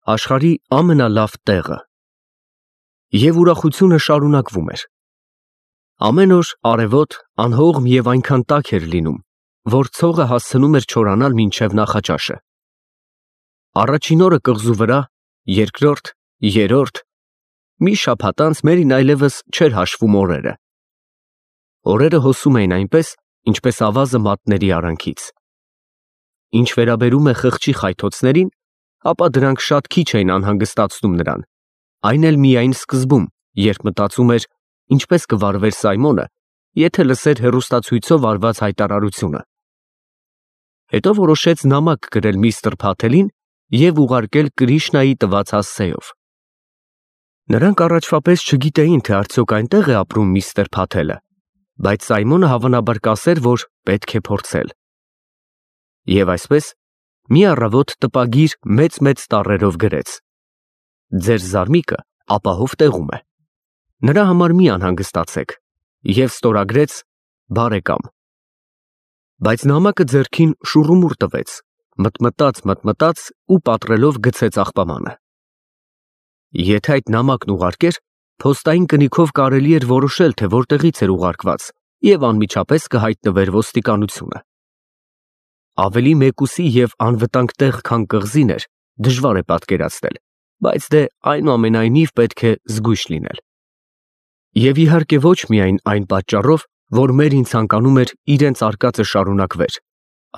Աշխարհի ամենալավ տեղը։ Եվ ուրախությունը շարունակվում էր։ Ամեն օր արևոտ, անհողմ և այնքան տաք էր լինում, որ ցողը հասցնում էր չորանալ մինչև նախաճաշը։ Առաջին օրը կղզու վրա, երկրորդ, երրորդ, մի շաբաթ անց Մերին այլևս չէր հաշվում օրերը։ Օրերը հոսում էին այնպես, ինչպես ավազը մատների արանքից։ Ինչ վերաբերում է խղճի խայթոցներին, ապա դրանք շատ քիչ էին անհանգստացնում նրան, այն էլ միայն սկզբում, երբ մտածում էր, ինչպես կվարվեր Սայմոնը, եթե լսեր հեռուստացույցով արված հայտարարությունը։ Հետո որոշեց նամակ գրել միստր Փաթելին և ուղարկել Կրիշնայի տված հասցեով։ Նրանք առաջվա պես չգիտեին, թե արդյոք այնտեղ է ապրում միստր Փաթելը, բայց Սայմոնը հավանաբար կասեր, որ պետք է փորձել։ Եվ այսպես, մի առավոտ տպագիր մեծ տառերով գրեց. «Ձեր զարմիկը ապահով տեղում է։ Նրա համար մի անհանգստացեք» և ստորագրեց «Բարեկամ»։ Բայց նամակը ձեռքին շուռումուռ տվեց, մտմտաց ու պատռելով գցեց աղբամանը։ Եթե այդ նամակն ուղարկեր, փոստային կնիքով կարելի էր որոշել, թե որտեղից էր ուղարկված, և անմիջապես կհայտնվեր ոստիկանությունը։ Ավելի մեկուսի և անվտանգ տեղ, քան կղզին էր, դժվար է պատկերացնել, բայց դե այնուամենայնիվ պետք է զգույշ լինել։ Եվ իհարկե ոչ միայն այն պատճառով, որ Մերին ցանկանում էր իրենց արկածը շարունակվեր,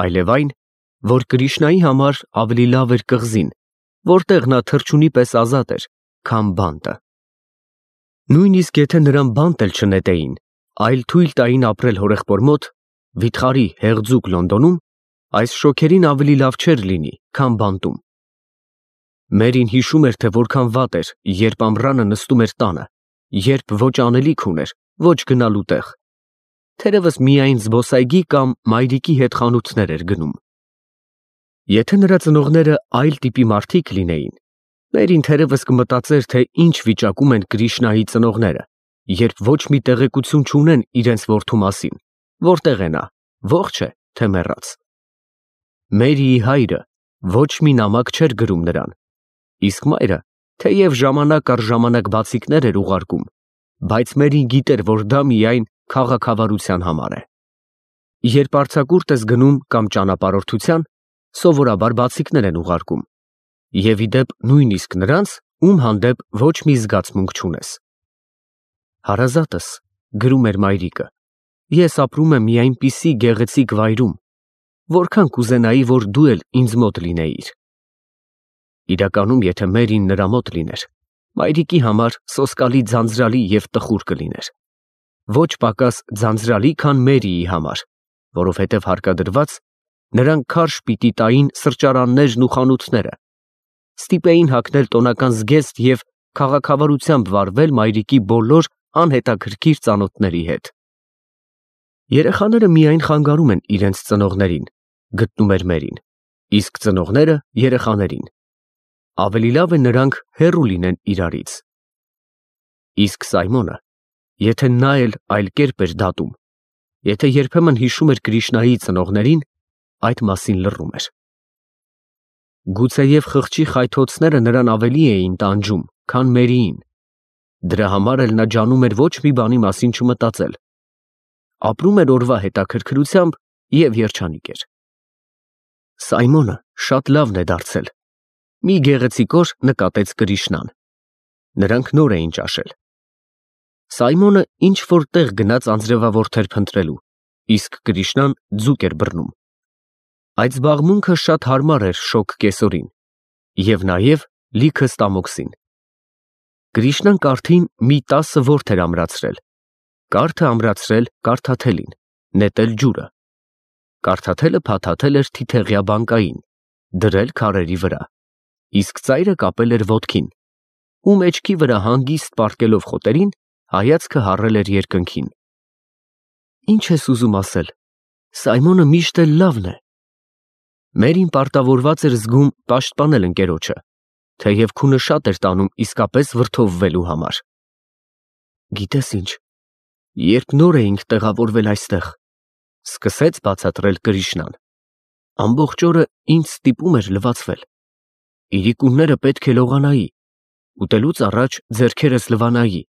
այլև այն, որ Կրիշնայի համար ավելի լավ էր կղզին, որտեղ նա թռչունի պես ազատ էր, քան բանտը։ Նույնիսկ եթե նրան բանտ էլ չնետեին, այլ թույլ տային ապրել հորեղբոր մոտ, վիթխարի հեղձուկ Լոնդոնում, այս շոգերին ավելի լավ չէր լինի, քան բանտում։ Մերին հիշում էր, թե որքան վատ էր, երբ ամռանը նստում էր տանը, երբ ոչ անելիք ուներ, ոչ գնալու տեղ, թերևս միայն զբոսայգի կամ մայրիկի հետ խանութներ էր գնում։ Եթե նրա ծնողները այլ տիպի մարդիկ լինեին, Մերին թերևս կմտածեր, թե ինչ վիճակում են Կրիշնայի ծնողները, երբ ոչ մի տեղեկություն չունեն իրենց որդու մասին, որտեղ է նա, ողջ է, թե մեռած։ Մերիի հայրը ոչ մի նամակ չէր գրում նրան, իսկ մայրը, թեև ժամանակ առ ժամանակ բացիկներ էր ուղարկում, բայց Մերին գիտեր, որ դա միայն քաղաքավարության համար է։ Երբ արձակուրդ ես գնում կամ ճանապարհորդության, սովորաբար բացիկներ են ուղարկում, և ի դեպ նույնիսկ նրանց, ում հանդեպ ոչ մի զգացմունք չունես։ Հարազատս, գրում էր մայրիկը, ես ապրում եմ մի այնպիսի գեղեցիկ վայրում, որքան կուզենայի, որ դու էլ ինձ մոտ լինեիր։ Իրականում, եթե Մերին նրա մոտ լիներ, մայրիկի համար սոսկալի ձանձրալի և տխուր կլիներ։ Ոչ պակաս ձանձրալի, քան Մերիի համար, որովհետև հարկադրված նրանք քարշ պիտի տային սրճարաններն ու խանութները, ստիպեին հագնել տոնական զգեստ և քաղաքավարությամբ վարվել մայրիկի բոլոր անհետաքրքիր ծանոթների հետ։ Երեխաները միայն խանգարում են իրենց ծնողներին, գտնում էր Մերին, իսկ ծնողները երեխաներին։ Ավելի լավ է նրանք հեռու լինեն իրարից։ Իսկ Սայմոնը, եթե նա էլ այլ կերպ էր դատում, եթե երբեմն հիշում էր Կրիշնայի ծնողներին, այդ մասին լռում էր։ Գուցեև խղճի խայթոցները նրան ավելի էին տանջում, քան Մերիին։ Դրա համար էլ նա ջանում էր ոչ մի բանի մասին չմտածել։ Ապրում էր օրվա հետաքրքրությամբ և երջանիկ էր։ Սայմոնը շատ լավն է դարձել։ Մի գեղեցիկ օր նկատեց Կրիշնան։ Նրանք նոր էին ճաշել։ Սայմոնը ինչ-որ տեղ գնաց անձրևավորթեր փնտրելու, իսկ Կրիշնան ձուկ էր բռնում։ Այդ զբաղմունքը շատ հարմար էր շոգ կեսօրին և նաև լիքը ստամոքսին։ Կրիշնան կարթին մի 10 որթ էր ամրացրել, կարթը ամրացրել կարթաթելին, նետել ջուրը։ Կարթաթելը փաթաթել էր թիթեղյա բանկային, դրել քարերի վրա, իսկ ծայրը կապել էր ոտքին, ու մեջքի վրա հանգիստ պառկելով խոտերին, հայացքը հառել էր երկնքին։ Ինչ ես ուզում ասել, Սայմոնը միշտ էլ լավն է։ Մերին պարտավորված էր զգում պաշտպանել ընկերոջը, թեև քունը շատ էր տանում իսկապես վրդովվելու համար։ Գիտես ինչ, երբ նոր էինք տեղավորվել այստեղ, սկսեց բացատրել Կրիշնան, ամբողջ օրը ինձ ստիպում էր լվացվել։ իրիկունները պետք է լողանայի, ուտելուց առաջ ձեռքերս լվանայի,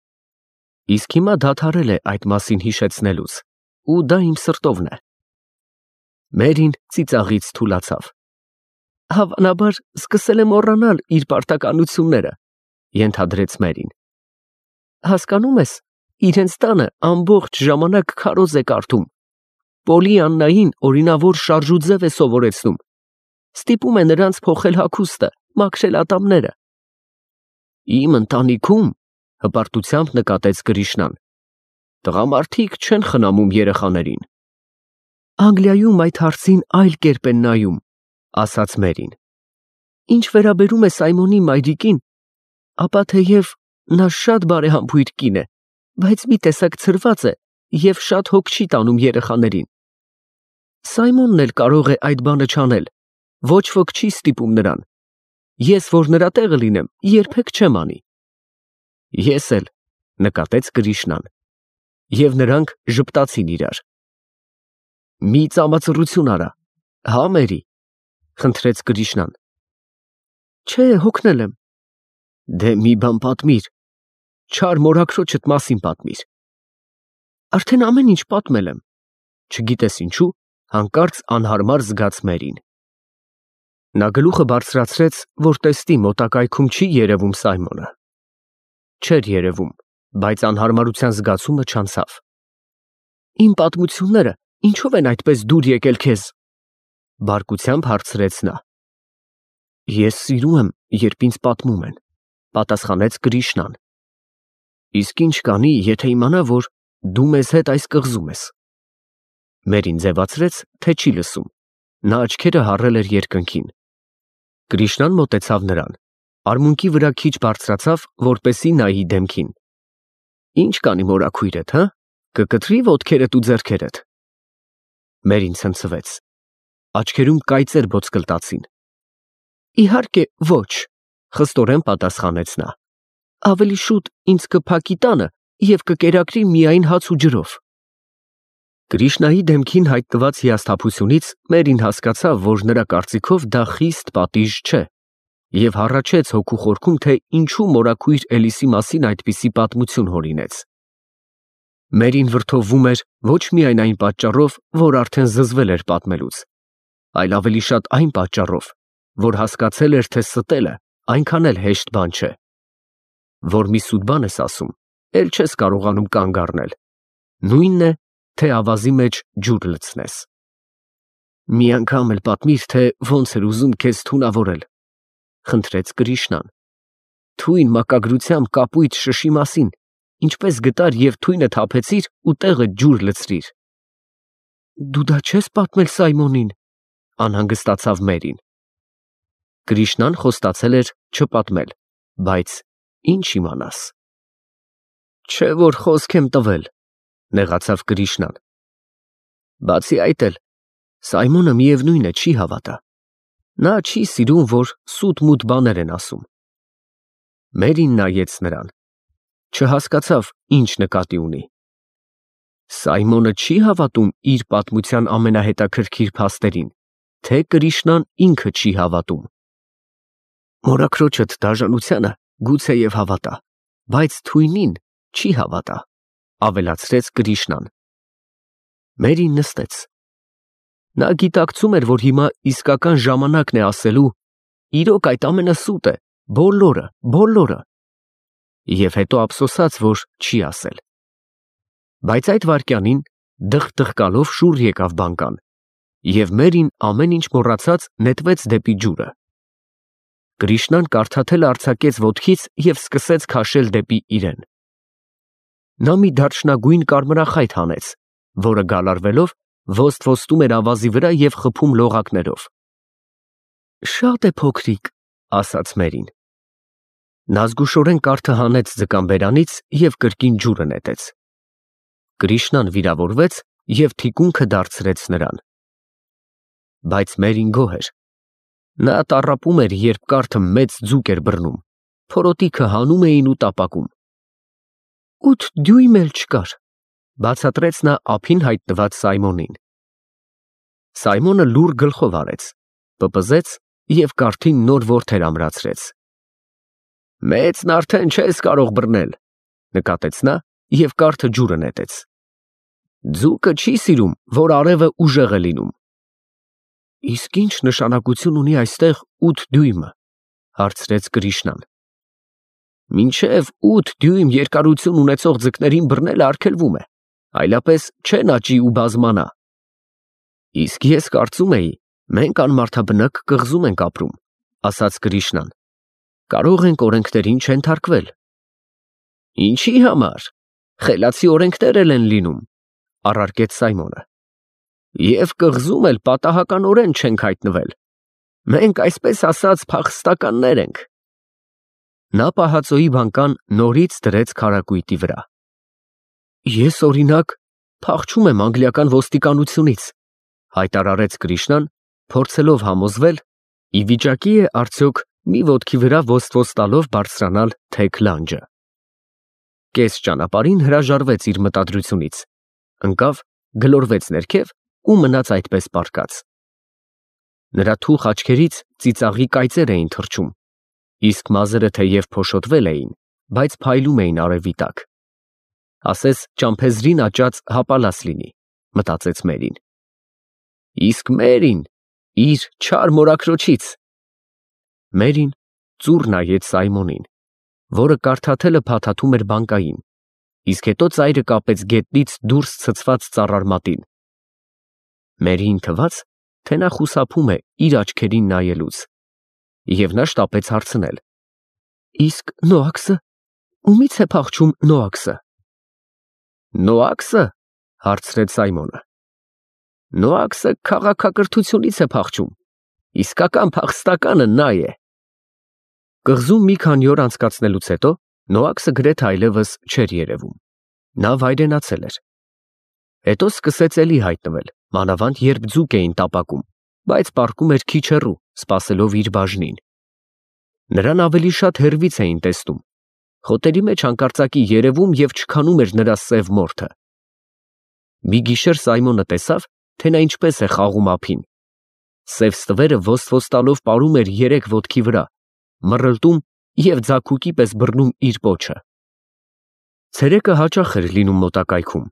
իսկ հիմա դադարել է այդ մասին հիշեցնելուց, ու դա իմ սրտովն է։ Մերին ծիծաղից թուլացավ։ Հավանաբար սկսել է մոռանալ իր պարտականությունները, ենթադրեց Մերին։ Հասկանում ես, իրենց տանը ամբողջ ժամանակ քարոզ է կարդում, Պոլի Աննային օրինավոր շարժուձև է սովորեցնում, ստիպում է նրանց փոխել հագուստը, մաքրել ատամները։ Իմ ընտանիքում, հպարտությամբ նկատեց Կրիշնան, տղամարդիկ չեն խնամում երեխաներին։ Անգլիայում այդ հարցին այլ կերպ են նայում, ասաց Մերին։ Ինչ վերաբերում է Սայմոնի մայրիկին, ապա թեև նա շատ բարեհամբույր կին է, բայց մի տեսակ ցրված է և շատ հոգ չի տանում երեխաներին։ Սայմոնն էլ կարող է այդ բանը չանել, ոչ ոք չի ստիպում նրան։ Ես, որ նրա տեղը լինեմ, երբեք չեմ անի։ Ես էլ, նկատեց Կրիշնան, և նրանք ժպտացին իրար։ Մի ծամածռություն արա, հա Մերի, խնդրեց Կրիշնան։ Չէ, հոգնել եմ։ Դե մի բան պատմիր, չար մորաքրոջդ մասին պատմիր։ Արդեն ամեն ինչ պատմել եմ, չգիտես ինչու, հանկարծ անհարմար զգաց Մերին։ Նա գլուխը բարձրացրեց, որ տեսնի մոտակայքում չի երևում Սայմոնը։ Չէր երևում, բայց անհարմարության զգացումը չանցավ։ Իմ պատմությունները ինչով են այդպես դուր եկել քեզ, բարկությամբ հարցրեց նա։ Ես սիրում եմ, երբ ինձ պատմում են, պատասխանեց Կրիշնան։ Իսկ ինչ կանի, եթե իմանա, որ դու մեզ հետ այս կղզում ես։ Մերին ձևացրեց, թե չի լսում, նա աչքերը հառել էր երկնքին։ Կրիշնան մոտեցավ նրան, արմունկի վրա քիչ բարձրացավ, որպեսզի նայի դեմքին։ Ինչ կանի մորաքույրդ, հա, կկտրի ոտքերդ ու ձեռքերդ։ Մերին ցնցվեց, աչքերում կայծեր ոսկլտացին։ Իհարկե ոչ, խստորեն պատասխանեց նա։ Ավելի շուտ ինձ կփակի տանը և կկերակրի միայն հաց ու ջրով։ Կրիշնայի դեմքին հայտնված հիասթափությունից Մերին հասկացավ, որ նրա կարծիքով դա խիստ պատիժ չէ, և հառաչեց հոգու խորքում, թե ինչու մորաքույր Էլիսի մասին այդպիսի պատմություն հորինեց։ Մերին վրդովվում էր ոչ միայն այն պատճառով, որ արդեն զզվել էր պատմելուց, այլ ավելի շատ այն պատճառով, որ հասկացել էր, թե ստելը այնքան էլ հեշտ բան չէ։ Որ մի սուտ բան ես ասում, էլ չես կարողանում կանգ առնել, նույնն է, թե ավազի մեջ ջուր լցնես։ Մի անգամ էլ պատմիր, թե ոնց էր ուզում քեզ թունավորել, խնդրեց Կրիշնան։ Թույն մակագրությամբ կապույտ շշի մասին, ինչպես գտար և թույնը թափեցիր ու տեղը ջուր լցրիր։ Դու դա չես պատմել Սայմոնին, անհանգստացավ Մերին։ Կրիշնան խոստացել էր չպատմել, բայց ինչ իմանաս։ Չէ որ խոսք եմ տվել, նեղացավ Կրիշնան։ Բացի այդ էլ, Սայմոնը միևնույն է չի հավատա։ Նա չի սիրում, որ սուտ-մութ բաներ են ասում։ Մերին նայեց նրան, չհասկացավ, ինչ նկատի ունի։ Սայմոնը չի հավատում իր պատմության ամենահետաքրքիր փաստերին, թե Կրիշնան ինքը չի հավատում։ Մորաքրոջդ դաժանությանը գուցեև հավատա, բայց թույնին չի հավատա, ավելացրեց Կրիշնան։ Մերին նստեց։ Նա գիտակցում էր, որ հիմա իսկական ժամանակն է ասելու. իրոք այդ ամենը սուտ է, բոլորը, և հետո ափսոսաց, որ չի ասել։ Բայց այդ վայրկյանին դղ-դղկալով շուռ եկավ բանկան, և Մերին ամեն ինչ մոռացած նետվեց դեպի ջուրը։ Կրիշնան կարդաթել արձակեց ոտքից և սկսեց քաշել դեպի իրեն։ Նա մի դարչնագույն կարմրախայտ հանեց, որը գալարվելով ոստ-ոստում էր ավազի վրա և խփում լողակներով։ Շատ է փոքրիկ, ասաց Մերին։ Նա զգուշորեն կարդը հանեց ձկան բերանից և կրկին ջուրը նետեց։ Կրիշնան վիրավորվեց և թիկունքը դարձրեց նրան։ Բայց Մերին գոհ էր։ Նա տառապում էր, երբ կարդը մեծ ձուկ էր բռնում, փորոտիքը հանում էին ու տապակում։ 8 դյույմ էլ չկար, բացատրեց նա ափին հայտնված Սայմոնին։ Սայմոնը լուռ գլխով արեց, պպզեց և կարթին նոր որդեր ամրացրեց։ Մեծն արդեն չես կարող բռնել, նկատեց նա և կարթը ջուրը նետեց։ Ձուկը չի սիրում, որ արևը ուժեղ է լինում։ Իսկ ինչ նշանակություն ունի այստեղ 8 դյույմը, հարցրեց Կրիշնան։ Մինչև 8 դյույմ երկարություն ունեցող ձկներին բռնելը արգելվում է, այլապես չեն աճի ու բազմանա։ Իսկ ես կարծում էի, մենք անմարդաբնակ կղզում ենք ապրում, ասաց Կրիշնան։ Կարող ենք օրենքներին չենթարկվել։ Ինչի համար։ Խելացի օրենքներ են լինում, առարկեց Սայմոնը։ Եվ կղզում էլ պատահականորեն չենք հայտնվել։ Մենք այսպես ասած փախստականներ ենք։ Նա պահածոյի բանկան նորից դրեց քարակույտի վրա։ Ես օրինակ փախչում եմ անգլիական ոստիկանությունից, հայտարարեց Կրիշնան, փորձելով համոզվել, ի վիճակի է արդյոք մի ոտքի վրա ոստ տալով բարձրանալ թեք լանջը։ Կես ճանապարհին հրաժարվեց իր մտադրությունից, ընկավ, գլորվեց ներքև ու մնաց այդպես պառկած։ Նրա թուխ աչքերից ծիծաղի կայծեր էին թռչում, իսկ մազերը թեև փոշոտվել էին, բայց փայլում էին արևի տակ։ Ասես ճամփեզրին աճած հապալաս լինի, մտածեց Մերին։ Իսկ Մերին իր չար մորաքրոջից։ Մերին ծուռ նայեց Սայմոնին, որը կարդաթելը փաթաթում էր բանկային, իսկ հետո ծայրը կապեց գետնից դուրս ցցված ծառարմատին։ Մերիին թվաց, թե նա խուսափում է իր աչքերին նայելուց, և նա շտապեց հարցնել. Իսկ Նոաքսը, ումից է փախչում Նոաքսը։ Նոաքսը, հարցրեց Սայմոնը։ Նոաքսը քաղաքակրթությունից է փախչում, իսկական փախստականը նա է։ Կղզում մի քանի օր անցկացնելուց հետո Նոաքսը գրեթե այլևս չէր երևում։ Նա վայրենացել էր։ Հետո սկսեց էլի հայտնվել, մանավանդ երբ ձուկ էին տապակում, բայց պառկում էր քիչ հեռու, սպասելով իր բաժնին։ Նրան ավելի շատ հեռվից էին տեսնում, խոտերի մեջ հանկարծակի երևում և չքանում էր նրա սև մորթը։ Մի գիշեր Սայմոնը տեսավ, թե նա ինչպես է խաղում ափին։ Սև ստվերը ոստ տալով պարում էր երեք ոտքի վրա, մռլտում և ձագուկի պես բռնում իր պոչը։ Ցերեկը հաճախ էր լինում մոտակայքում,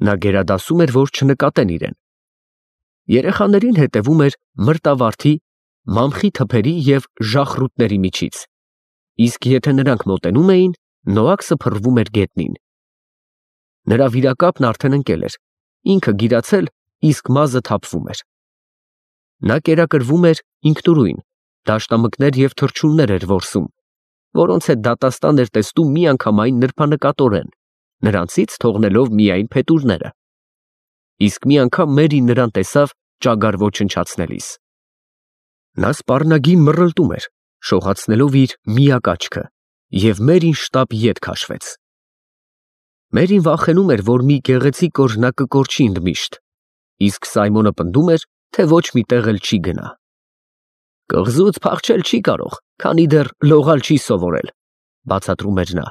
նա գերադասում էր, որ չնկատեն իրեն։ Երեխաներին հետևում էր մրտավարդի, մամխի թփերի և ժախրուտների միջից, իսկ եթե նրանք մոտենում էին, Նոաքսը փռվում էր գետնին։ Նրա վիրակապն արդեն ընկել էր, ինքը գիրացել, իսկ մազը թափվում էր։ Նա կերակրվում էր ինքնուրույն, դաշտամկներ և թռչուններ էր որսում, որոնց հետ դատաստան էր տեսնում միանգամայն նրբանկատորեն, նրանցից թողնելով միայն փետուրները։ Իսկ մի անգամ Մերին նրան տեսավ ճագար ոչնչացնելիս։ Նա սպառնագին մռլտում էր, շողացնելով իր միակ աչքը, և Մերին շտապ ետ քաշվեց։ Մերին վախենում էր, որ մի գեղեցիկ օր նա կկորչի ընդմիշտ, իսկ Սայմոնը պնդում էր, թե ոչ մի տեղ էլ չի գնա։ Կղզուց փախչել չի կարող, քանի դեռ լողալ չի սովորել, բացատրում էր նա։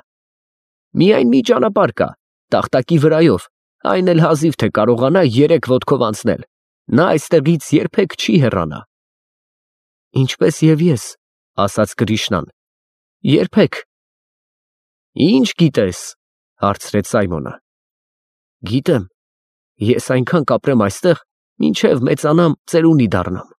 Միայն մի ճանապարհ կա, տախտակի վրայով, այն էլ հազիվ թե կարողանա 3 ոտքով անցնել, նա այստեղից երբեք չի հեռանա։ Ինչպես և ես, ասաց Կրիշնան, երբեք։ Ինչ գիտես, հարցրեց Սայմոնը։ Գիտեմ, ես այնքան կապրեմ այստեղ, մինչև մեծանամ ծերունի դառնամ։